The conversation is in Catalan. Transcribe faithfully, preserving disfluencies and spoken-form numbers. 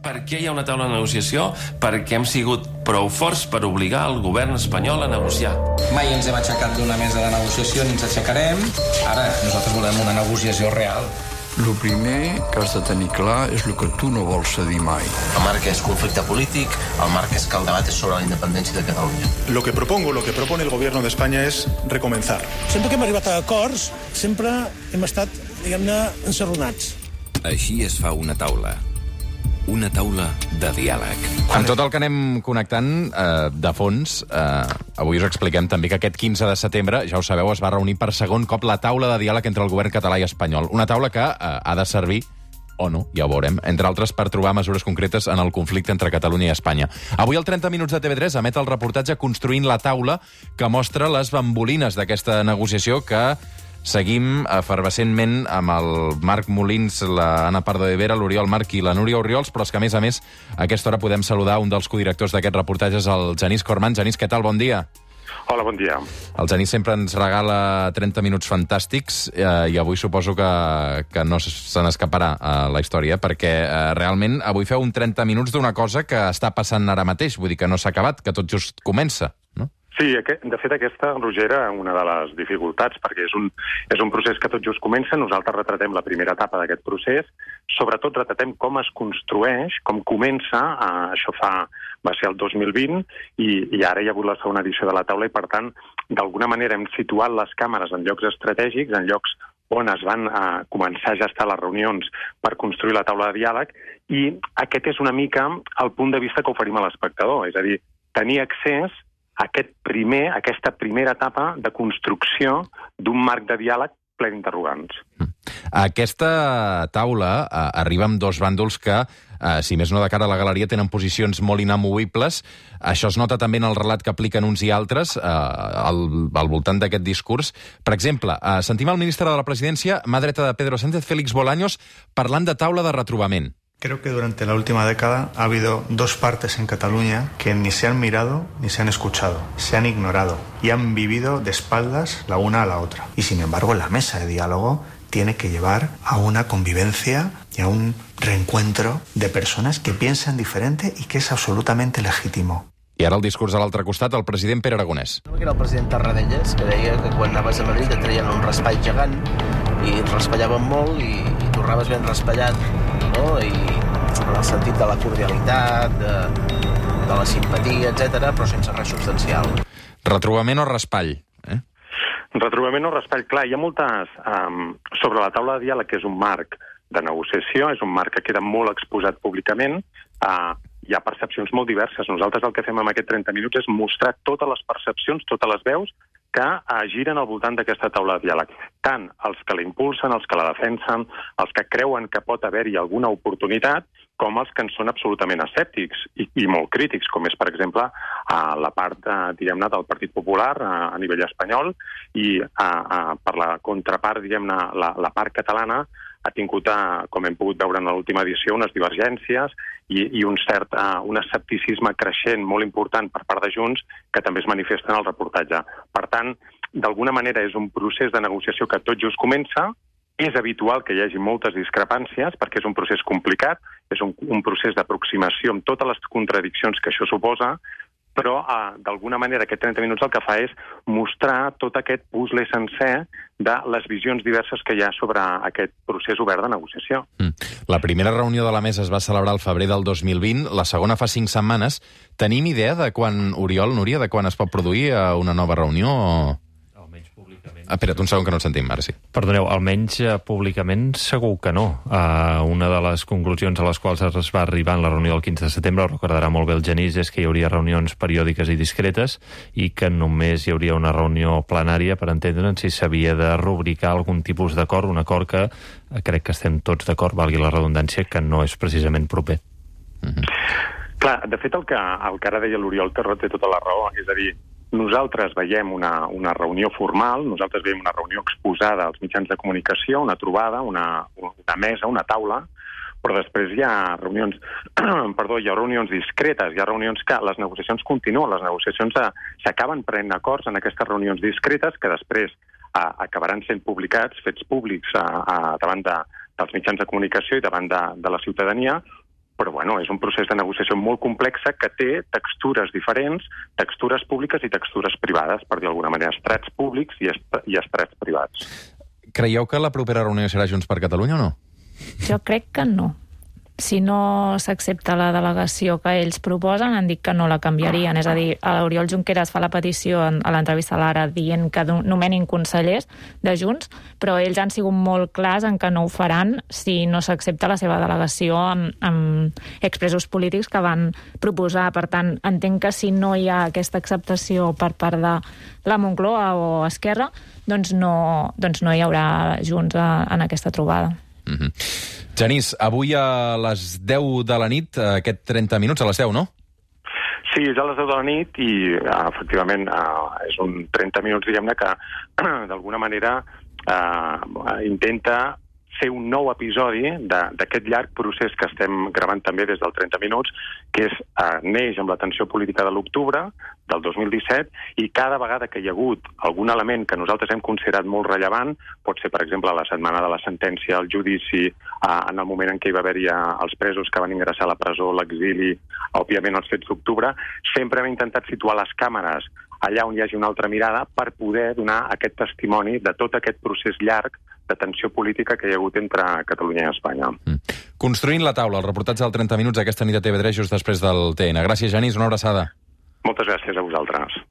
Per què hi ha una taula de negociació? Perquè hem sigut prou forts per obligar el govern espanyol a negociar. Mai ens hem aixecat d'una mesa de negociació ni ens aixecarem. Ara, nosaltres volem una negociació real. El primer que has de tenir clar és el que tu no vols cedir mai. El marc és conflicte polític, el marc és que el debat és sobre la independència de Catalunya. Lo que propongo, lo que propone el gobierno de España es recomenzar. Sempre que hem arribat a acords, sempre hem estat, diguem-ne, ensarronats. Així es fa una taula. Una taula de diàleg. Amb tot el que anem connectant eh, de fons, eh, avui us expliquem també que aquest quinze de setembre, ja ho sabeu, es va reunir per segon cop la taula de diàleg entre el govern català i espanyol. Una taula que eh, ha de servir, o no, ja ho veurem, entre altres per trobar mesures concretes en el conflicte entre Catalunya i Espanya. Avui al trenta minuts de T V tres emet el reportatge Construint la taula, que mostra les bambolines d'aquesta negociació que seguim efervescentment amb el Marc Molins, l'Anna Pardo de Vera, l'Oriol Marc i la Núria Orriols, però és que, a més a més, a aquesta hora podem saludar un dels codirectors d'aquests reportatges, el Genís Corman. Genís, què tal? Bon dia. Hola, bon dia. El Genís sempre ens regala trenta minuts fantàstics eh, i avui suposo que, que no se n'escaparà a la història, perquè eh, realment avui feu un trenta minuts d'una cosa que està passant ara mateix, vull dir que no s'ha acabat, que tot just comença, no? Sí, de fet aquesta, Roger, era una de les dificultats, perquè és un, és un procés que tot just comença. Nosaltres retratem la primera etapa d'aquest procés, sobretot retratem com es construeix, com comença, eh, això fa, va ser el dos mil vint, i, i ara hi ha hagut la segona edició de la taula, i per tant, d'alguna manera hem situat les càmeres en llocs estratègics, en llocs on es van eh, començar a gestar les reunions per construir la taula de diàleg, i aquest és una mica el punt de vista que oferim a l'espectador, és a dir, tenir accés aquest primer, aquesta primera etapa de construcció d'un marc de diàleg ple d'interrogants. Aquesta taula eh, arriba amb dos bàndols que, eh, si més no de cara a la galeria, tenen posicions molt inamovibles. Això es nota també en el relat que apliquen uns i altres eh, al, al voltant d'aquest discurs. Per exemple, eh, sentim el ministre de la Presidència, mà dreta de Pedro Sánchez, Félix Bolaños, parlant de taula de retrobament. Creo que durante la última década ha habido dos partes en Cataluña que ni se han mirado ni se han escuchado, se han ignorado y han vivido de espaldas la una a la otra. Y sin embargo, la mesa de diálogo tiene que llevar a una convivencia y a un reencuentro de personas que piensan diferente y que es absolutamente legítimo. I ara el discurs a l'altre costat, el president Pere Aragonès. Era el president Tarradellas, que deia que quan anaves a Madrid et treien un raspall gegant i et raspallaven molt i, i tornaves ben raspallat, no? I en el sentit de la cordialitat, de, de la simpatia, etcètera, però sense res substancial. Retrobament o raspall? Eh? Retrobament o raspall, clar, hi ha moltes... Um, sobre la taula de diàleg, que és un marc de negociació, és un marc que queda molt exposat públicament, uh, hi ha percepcions molt diverses. Nosaltres el que fem en aquest trenta minuts és mostrar totes les percepcions, totes les veus que eh, giren al voltant d'aquesta taula de diàleg. Tant els que la impulsen, els que la defensen, els que creuen que pot haver-hi alguna oportunitat, com els que en són absolutament escèptics i, i molt crítics, com és, per exemple, a la part, eh, diguem-ne, del Partit Popular a, a nivell espanyol, i a, a, per la contrapart, diguem-ne, la, la part catalana, ha tingut, com hem pogut veure en l'última edició, unes divergències i, i un cert uh, un escepticisme creixent molt important per part de Junts que també es manifesta en el reportatge. Per tant, d'alguna manera és un procés de negociació que tot just comença. És habitual que hi hagi moltes discrepàncies perquè és un procés complicat, és un, un procés d'aproximació amb totes les contradiccions que això suposa, però eh, d'alguna manera aquest trenta minuts el que fa és mostrar tot aquest puzzle sencer de les visions diverses que hi ha sobre aquest procés obert de negociació. Mm. La primera reunió de la mesa es va celebrar al febrer del dos mil vint, la segona fa cinc setmanes. Tenim idea de quan, Oriol, Núria, de quan es pot produir una nova reunió? O... Ah, espera't, un segon que no el sentim, ara sí. Perdoneu, almenys uh, públicament segur que no. Uh, una de les conclusions a les quals es va arribar en la reunió del quinze de setembre, ho recordarà molt bé el Genís, és que hi hauria reunions periòdiques i discretes i que només hi hauria una reunió plenària per entendre'n si s'havia de rubricar algun tipus d'acord, un acord que uh, crec que estem tots d'acord, valgui la redundància, que no és precisament proper. Mm-hmm. Clar, de fet, el que, el que ara deia l'Oriol té tota la raó, és a dir, nosaltres veiem una, una reunió formal, nosaltres veiem una reunió exposada als mitjans de comunicació, una trobada, una, una mesa, una taula, però després hi ha reunions, perdó, hi ha reunions discretes, hi ha reunions que les negociacions continuen, les negociacions s'acaben prenent acords en aquestes reunions discretes que després a, acabaran sent publicats, fets públics a, a, davant de, dels mitjans de comunicació i davant de, de la ciutadania, però bueno, és un procés de negociació molt complex que té textures diferents, textures públiques i textures privades, per dir d'alguna manera, estrats públics i, est i estrats privats. Creieu que la propera reunió serà Junts per Catalunya o no? Jo crec que no. Si no s'accepta la delegació que ells proposen, han dit que no la canviarien. És a dir, l'Oriol Junqueras fa la petició a l'entrevista a l'Ara dient que nomenin consellers de Junts, però ells han sigut molt clars en que no ho faran si no s'accepta la seva delegació amb, amb expressos polítics que van proposar. Per tant, entenc que si no hi ha aquesta acceptació per part de la Moncloa o Esquerra, doncs no, doncs no hi haurà Junts en aquesta trobada. Mm-hmm. Genís, avui a les deu de la nit, aquest trenta minuts, a les deu, no? Sí, és a les deu de la nit i, efectivament, és un trenta minuts, diguem-ne, que d'alguna manera eh, intenta fer un nou episodi d'aquest llarg procés que estem gravant també des del trenta minuts, que és, eh, neix amb la tensió política de l'octubre del dos mil disset, i cada vegada que hi ha hagut algun element que nosaltres hem considerat molt rellevant, pot ser, per exemple, la setmana de la sentència, el judici, eh, en el moment en què hi va haver-hi els presos que van ingressar a la presó, l'exili, òbviament els fets d'octubre, sempre hem intentat situar les càmeres allà on hi hagi una altra mirada per poder donar aquest testimoni de tot aquest procés llarg de tensió política que hi ha hagut entre Catalunya i Espanya. Mm. Construint la taula, el reportatge del trenta minuts aquesta nit a T V tres just després del T N. Gràcies, Genís, una abraçada. Moltes gràcies a vosaltres.